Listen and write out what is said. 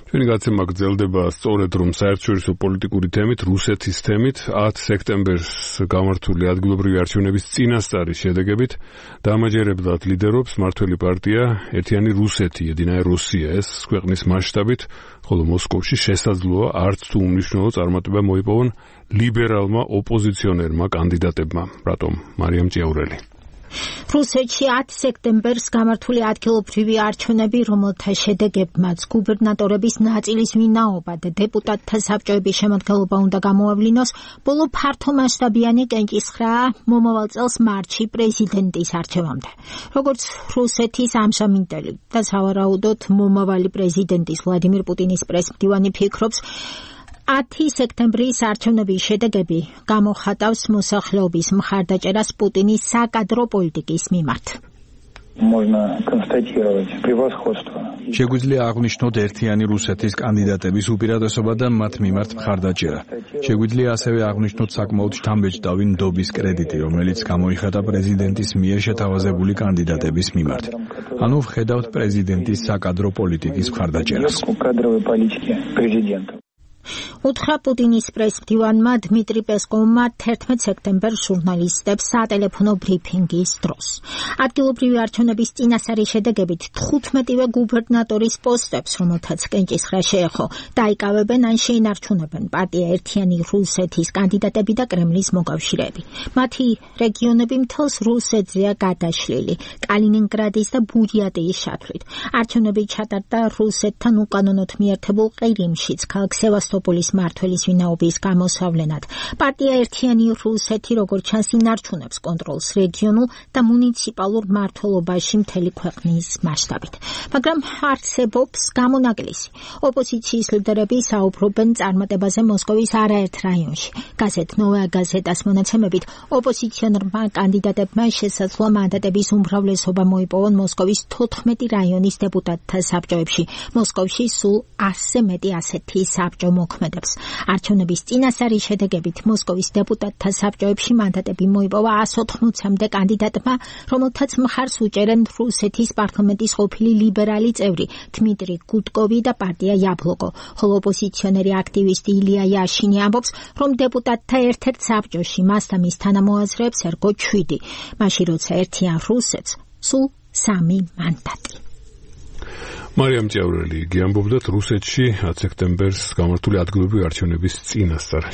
ჩვენი გაცემა გრძელდება სწორედ რომ საერთაშორისო პოლიტიკური თემით, რუსეთის თემით 10 სექტემბერს გამართული ადგილობრივი არჩევნების წინასწარის შედეგებით დამაჯერებლად ლიდერობს მმართველი პარტია ერთიანი რუსეთი, Единая Россия, ეს ქვეყნის მასშტაბით, ხოლო მოსკოვში შესაძლოა არც თუ უმნიშვნელო წარმატება მოიპოვონ ლიბერალმა ოპოზიციონერმა კანდიდატებმა. რატომ? მარიამ ჭიაურელი. რუსეთში 10 სექტემბერს გამართული ადგილობრივი არჩევნები, რომელთა შედეგებმაც გუბერნატორების ნაწილის ვინაობა და დეპუტატთა საბჭოების შემადგენლობა უნდა გამოავლინოს, ბოლო ფართომასშტაბიანი კენჭისხრაა მომავალ წელს მარტში პრეზიდენტის არჩევამდე. როგორც რუსეთის ამჟამინდელი და სავარაუდოდ მომავალი პრეზიდენტის ვლადიმირ პუტინის პრესმდივანი ფიქრობს, 10 სექტემბრის არჩევნების შედეგები გამოხატავს მოსახლეობის მხარდაჭერას პუტინის საკადრო პოლიტიკის მიმართ. შეგვიძლია აღვნიშნოთ ერთიანი რუსეთის კანდიდატების უპირატესობა და მათ მიმართ მხარდაჭერა. შეგვიძლია ასევე აღვნიშნოთ საკმაოდ შთამბეჭდავი ნდობის კრედიტი, რომელიც გამოიხატა პრეზიდენტის მიერ შეთავაზებული კანდიდატების მიმართ. ანუ ვხედავთ პრეზიდენტის საკადრო პოლიტიკის მხარდაჭერას. უთხრა პუტინის პრესმდივანმა დმიტრი პესკოვმა 11 სექტემბერს ჟურნალისტებს სატელეფონო ბრიფინგის დროს. ადგილობრივი არჩევნების წინასწარის შედეგებით 15-ვე გუბერნატორის პოსტებს, რომელთაც კენჭისხრა შეეხო, დაიკავებენ ან შეინარჩუნებენ პარტია ერთიანი რუსეთის კანდიდატები და კრემლის მოკავშირეები. მათი რეგიონები მთელს რუსეთზეა გადაშლილი, კალინინგრადის და ბურიატიის შათვლით. არჩევნები ჩატარდა რუსეთთან უკანონოდ მიერთებულ ყირიმშიც, ქალაქ სევასტოპოლის მმართველის ვინაობის გამოსავლენად. პარტია ერთიანი რუსეთი, როგორც ჩანს, ინარჩუნებს კონტროლს რეგიონულ და მუნიციპალურ მმართველობაში მთელი ქვეყნის მასშტაბით. მაგრამ არსებობს გამონაკლისი. ოპოზიციის ლიდერები საუბრობენ წარმატებაზე მოსკოვის არაერთ რაიონში. გაზეთ ნოვაია გაზეტას მონაცემებით, ოპოზიციონერმა კანდიდატებმა შესაძლოა მანდატების უმრავლესობა მოიპოვონ მოსკოვის 14 რაიონის დეპუტატთა საბჭოებში. მოსკოვში სულ 100-ზე მეტი ასეთი საბჭო მოქმედებს. არჩევნების წინასწარის შედეგებით მოსკოვის დეპუტატთა საბჭოებში მანდატები მოიპოვა 180-მდე კანდიდატმა, რომელთაც მხარს უჭერენ რუსეთის პარლამენტის ყოფილი ლიბერალი წევრი დმიტრი გუდკოვი და პარტია იაბლოკო, ხოლო ოპოზიციონერი აქტივისტი ილია იაშინი ამბობს, რომ დეპუტატთა ერთ-ერთ საბჭოში მას და მის თანამოაზრეებს ერგო 7, მაშინ როცა ერთიან რუსეთს სულ 3 მანდატი. მარიამ ჭიაურელი, იგი ამბობდა რუსეთში 10 სექტემბერს გამართული ადგილობრივი არჩევნების წინასწარ